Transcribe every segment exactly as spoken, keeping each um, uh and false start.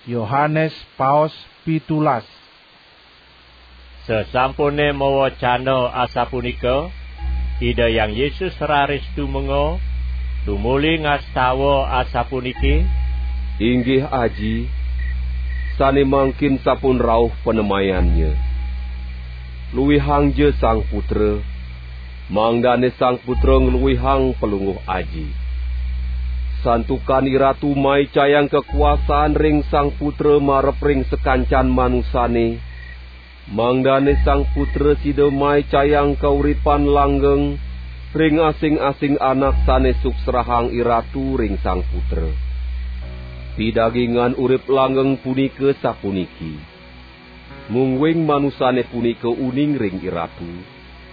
Yohanes paos pitulas. Sasampune mawacana asapunika, Ida Hyang Yesus raris tumenga, tumuli ngastawa asapuniki: "Inggih Aji, sane mangkin sampun rauh panemayannya. Luihangja Sang Putra, mangdane Sang Putra ngluihang Palungguh Aji. Santukan Iratu maicayang kakuasan ring Sang Putra marep ring sakancan manusane, mangdane Sang Putra sida maicayang kauripan langgeng ring asing-asing anak sane suksrahang Iratu ring Sang Putra. Pidagingan urip langgeng punika sapuniki: mungguing manusane punika uning ring Iratu,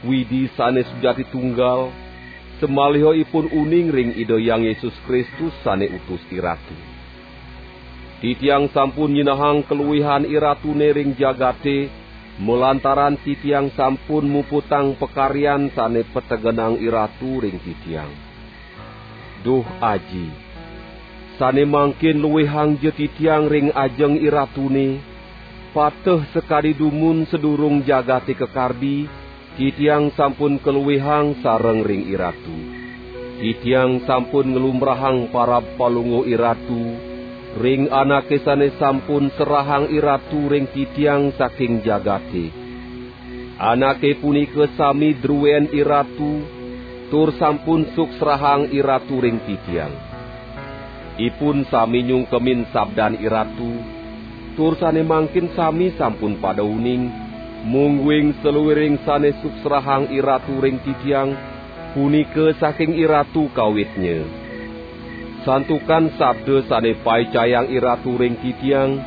Widi sane sujati tunggal, samaliha ipun uning ring Ida Hyang Yesus Kristus sane utus Iratu. Titiang sampun nyinahang kaluihan Iratune ring jagate, malantaran titiang sampun muputang pakaryan sane pategenang Iratu ring titiang. Duh Aji, sane mangkin luihangja titiang ring ajeng Iratune, pateh sakadi dumun sadurung jagate kakardi, titiang sampun kaluihang sareng ring Iratu. Titiang sampun nglumbrahang parab Palungguh Iratu ring anake sane sampun serahang Iratu ring titiang saking jagate. Anake punika sami druen Iratu, tur sampun suksrahang Iratu ring titiang. Ipun sami nyungkemin sabdan Iratu, tur sane mangkin sami sampun pada uning, mungguing saluiring sane suksrahang Iratu ring titiang, punika saking Iratu kawitnya. Santukan sabda sane paicayang Iratu ring titiang,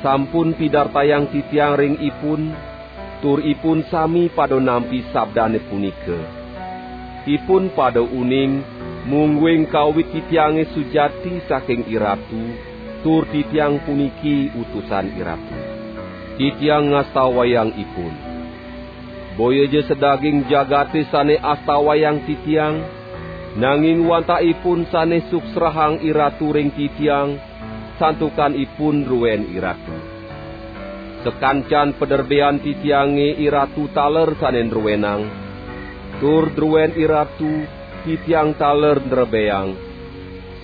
sampun pidartayang titiang ring ipun, tur ipun sami pada nampi sabdane punika. Ipun pada uning, mungguing kawit titiange sujati saking Iratu, tur titiang puniki utusan Iratu. Titiang ngastawayang ipun. Boyaja sadaging jagate sane astawayang titiang, nanging wantah ipun sane suksrahang Iratu ring titiang, santukan ipun druen Iratu. Sakancan paderbean titiange Iratu taler sane druenang, tur druen Iratu titiang taler ndrebeang.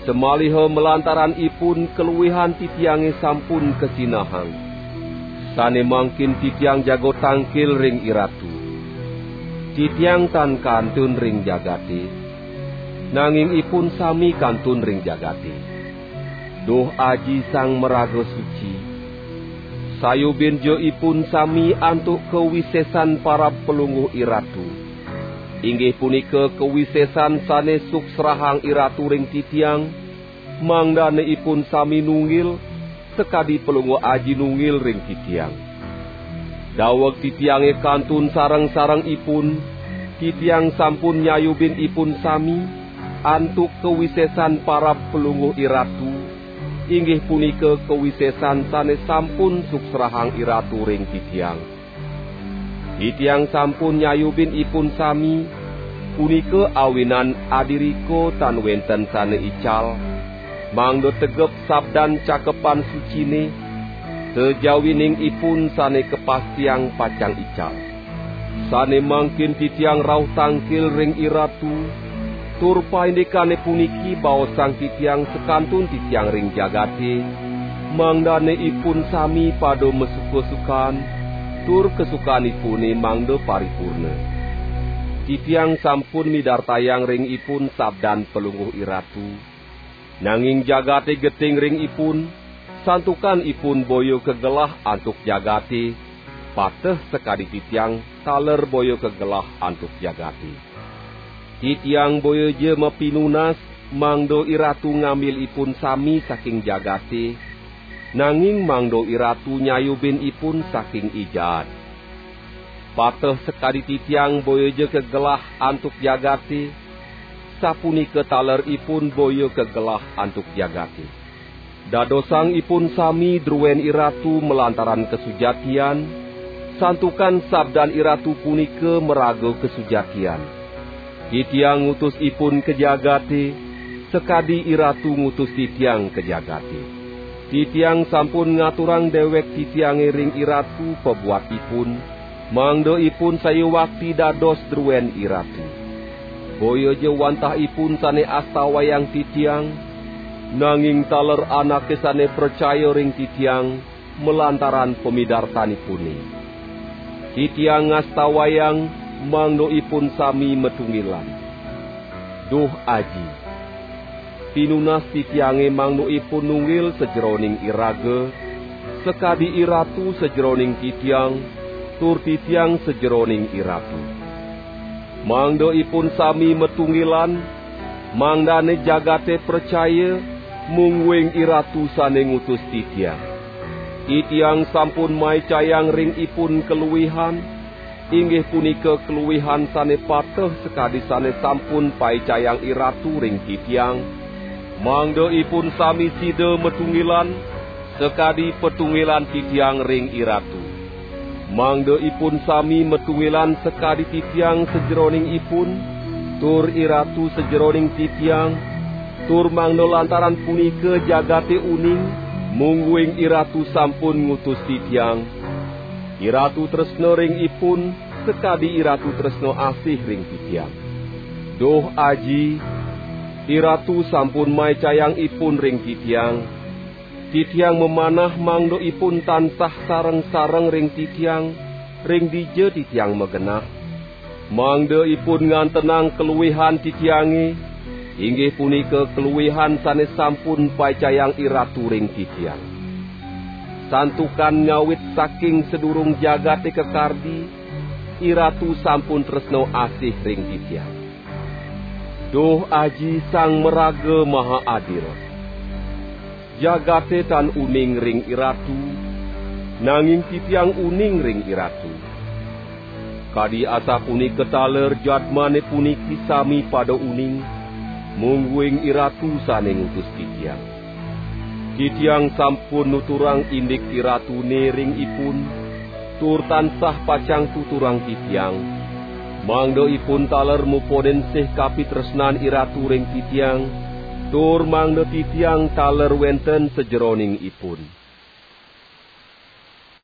Samaliha malantaran ipun kaluihan titiange sampun kasinahang. Sane mangkin titiang jago tangkil ring Iratu. Titiang tan kantun ring jagate, nanging ipun sami kantun ring jagate. Duh Aji Sang Maraga Suci, sayubinja ipun sami antuk kawisesan parab Palungguh Iratu, inggih punika kawisesan sane suksrahang Iratu ring titiang, mangdane ipun sami nunggil, sakadi Palungguh Aji nunggil ring titiang. Daweg titiange kantun sareng-sareng ipun, titiang sampun nyayubin ipun sami antuk kawisesan parab Palungguh Iratu, inggih punika kawisesan sane sampun suksrahang Iratu ring titiang. Titiang sampun nyayubin ipun sami, punika awinan adirika tan wenten sane ical, mangda tegep sabdan Cakepan Sucine, sajawining ipun sane kapastiang pacang ical. Sane mangkin titiang rauh tangkil ring Iratu, tur paindikane puniki baosang titiang sakantun titiang ring jagate, mangdane ipun sami pada masuka-sukan, tur kasukanipune mangda paripurna. Titiang sampun midartayang ring ipun sabdan Palungguh Iratu, nanging jagate geting ring ipun, santukan ipun boya kagelah antuk jagate, pateh sakadi titiang taler boya kagelah antuk jagate. Titiang boyaja mapinunas, mangda Iratu ngambil ipun sami saking jagate, nanging mangda Iratu nyayubin ipun saking I Jaat. Pateh sakadi titiang boyaja kagelah antuk jagate, sapunika taler ipun boya kagelah antuk jagate. Dadosang ipun sami druen Iratu malantaran kasujatian, santukan sabdan Iratu punika maraga kasujatian. Titiang ngutus ipun ka jagate, sakadi Iratu ngutus titiang ka jagate. Titiang sampun ngaturang dewek titiange ring iratu pabuat ipun, mangda ipun sayuwakti dados druen iratu. Boya ja wantah ipun sane astawayang titiang, nanging taler anake sane pracaya ring titiang malantaran pamidartanipune. Titiang ngastawayang mangda ipun sami matunggilan. Duh Aji, pinunas titiange mangda ipun nunggil sajeroning iraga, sakadi iratu sajeroning titiang, tur titiang sajeroning iratu. Mangda ipun sami matunggilan, mangdane jagate pracaya, mungguing iratu sane ngutus titiang. Titiang sampun maicayang ring ipun kaluihan, inggih punika kaluihan sane pateh sakadi sane sampun paicayang iratu ring titiang, mangda ipun sami sida matunggilan, sakadi patunggilan titiang ring iratu. Mangda ipun sami matunggilan sakadi titiang sajeroning ipun, tur iratu sajeroning titiang, tur mangda lantaran punika jagate uning, mungguing iratu sampun ngutus titiang. Iratu tresna ring ipun, sakadi iratu tresna asih ring titiang. Duh Aji, iratu sampun maicayang ipun ring titiang. Titiang mamanah mangda ipun tansah sareng-sareng ring titiang, ring dija titiang magenah, mangda ipun ngantenang kaluihan titiange, inggih punika kaluihan sane sampun paicayang iratu ring titiang. Santukan ngawit saking sadurung jagate kakardi, iratu sampun tresna asih ring titiang. Duh Aji Sang Maraga Maha Adil, jagate tan uning ring iratu, nanging titiang uning ring iratu. Kadi asapunika taler jadmane puniki sami pada uning, mungguing iratu sane ngutus titiang. Titiang sampun nuturang indik iratune ring ipun, tur tansah pacang tuturang titiang, mangda ipun taler muponin sih kapitresnan iratu ring titiang, tur mangda titiang taler wenten sajeroning ipun.